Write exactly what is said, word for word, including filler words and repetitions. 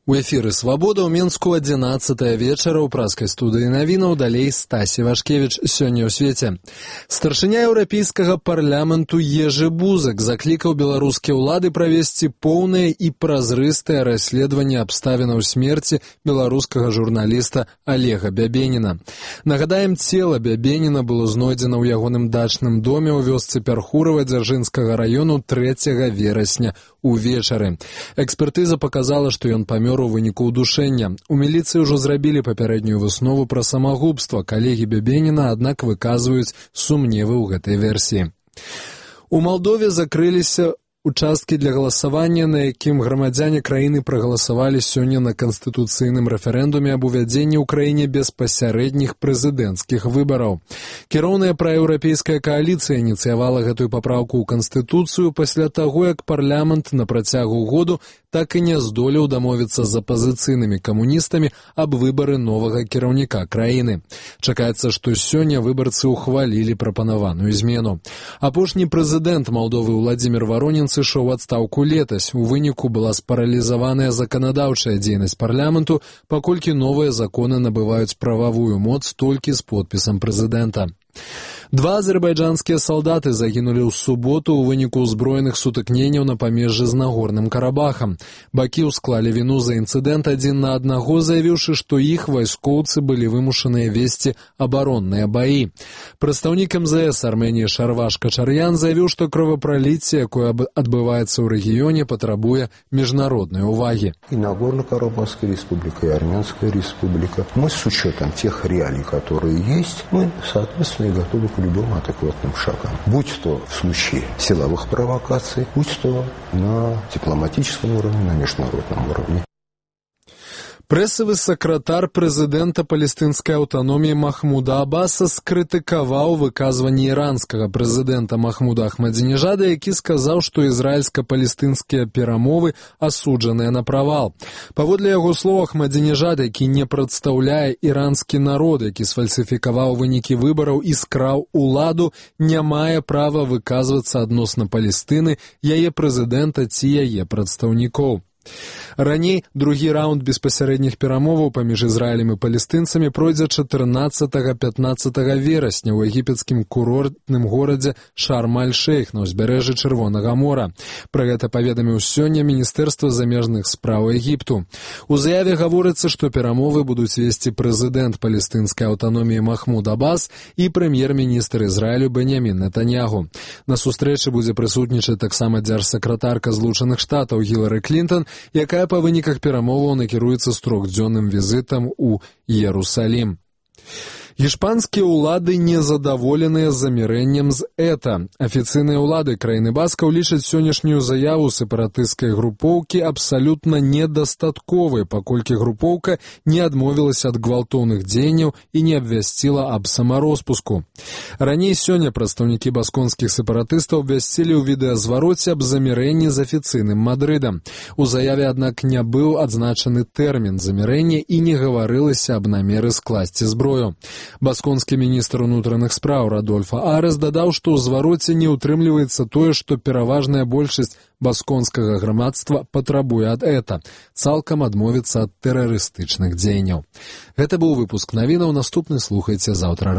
У эфіры «Свабода» ў Мінску адзінаццатая вечара ў праскай студыі навінаў, далей Стасі Вашкевіч. Сёння ў свеце. Старшыня еўрапейскага парламенту Ежы Бузак заклікаў беларускія ўлады правесці поўнае і празрыстае расследаванне абставінаў смерці беларускага журналіста Олега Бябеніна. Нагадаем, цела Бябеніна было знойдзена ў ягоным дачным доме ў вёсцы Пярхурава Дзяржынскага раёну трэцяга верасня увечары. Экспертыза паказала, што ён памёр у выніку ўдушэння. У міліцыі ўжо зрабілі папярэднюю выснову пра самагубства. Калегі Бябеніна, аднак, выказваюць сумневы ў гэтай версіі. У Малдове закрыліся участкі для галасавання, на якім грамадзяне краіны прагаласавалі сёння на канстытуцыйным рэферэндуме аб увядзенні ў краіне беспасярэдніх прэзідэнцкіх выбараў. Кіроўная праеўрапейская кааліцыя ініцыявала гэтую папраўку ў канстытуцыю пасля таго, як парламент на працягу году так і не здолеў дамовіцца з апазіцыйнымі камуністамі аб выбары новага кіраўніка краіны. Чакаецца, што сёння выбарцы ўхвалілі прапанаваную змену. Апошні прэзідэнт Малдовы Владзімір Варонін сышоў у адстаўку летась. У выніку была спаралізаваная заканадаўчая дзейнасць парламенту, паколькі новыя законы набываюць прававую моц толькі з подпісам прэзідэнта. Два азербайджанскія салдаты загінулі ў суботу ў выніку ўзброеных сутыкненняў на памежжы з Нагорным Карабахам. Бакі ўсклалі віну за інцыдэнт адзін на аднаго, заявіўшы, што іх вайскоўцы былі вымушаныя весці абаронныя баі. Прадстаўнік эм зэ эс Арменіі Шарваш Качар'ян заявіў, што кровапраліцце, якое адбываецца ў рэгіёне, патрабуе міжнароднай увагі. И Нагорно-Карабахская республика, и Армянская республика. Мы с учетом тех реалий, которые есть, мы, соответственно, готовы к любым адекватным шагам. Будь то в случае силовых провокаций, будь то на дипломатическом уровне, на международном уровне. Прэсавы сакратар прэзідэнта палестынскай аўтаноміі Махмуда Аббаса скрытыкаваў выказванне іранскага прэзідэнта Махмуда Ахмадзінежада, які сказаў, што ізраільска-палестынскія перамовы асуджаныя на правал. Паводле яго слоў, Ахмадзінежад, які не прадстаўляе іранскі народ, які сфальсіфікаваў вынікі выбараў і скраў уладу, не мае права выказвацца адносна Палестыны, яе прэзідэнта ці яе прадстаўнікоў. Раней другі раунд беспасярэдніх перамоваў паміж Ізраілем і палестынцамі пройдзе чатырнаццатага-пятнаццатага верасня ў егіпецкім курортным горадзе Шарм-аль-Шейх на ўзбярэжжы Чырвонага мора. Пра гэта паведаміў сёння Міністэрства замежных спраў Егіпту. У заяве гаворыцца, што перамовы будуць весці прэзідэнт палестынскай аўтаноміі Махмуд Аббас і прэм'ер-міністр Ізраілю Беньямін Нетаньягу. На сустрэчы будзе прысутнічаць таксама дзяржсакратарка Злучаных Штатаў Гілары Клінтон, якая па выніках перамоваў накіруецца з трохдзённым візітам у Іерусалім. Іспанскія ўлады незадаволеныя замірэннем з ЭТА. Афіцыйныя ўлады краіны Баскаў лічаць сённяшнюю заяву сепаратысцкай групоўкі абсалютна недастатковай, паколькі групоўка не адмовілася ад гвалтоўных дзеянняў і не абвясціла аб самароспуску. Раней сёння прадстаўнікі басконскіх сепаратыстаў абвясцілі ў відэазвароце аб замірэнні з афіцыйным Мадрыдам. У заяве, аднак, не быў адзначаны тэрмін замірэння і не гаварылася аб намеры скласці зброю. Басконскі міністр унутраных спраў Радольфа Арес дадаў, што ў звароце не ўтрымліваецца тое, што пераважная большасць басконскага грамадства патрабуе ад ЭТА, цалкам адмовіцца ад тэрарыстычных дзеянняў. Гэта быў выпуск навінаў, наступны слухайце заўтра.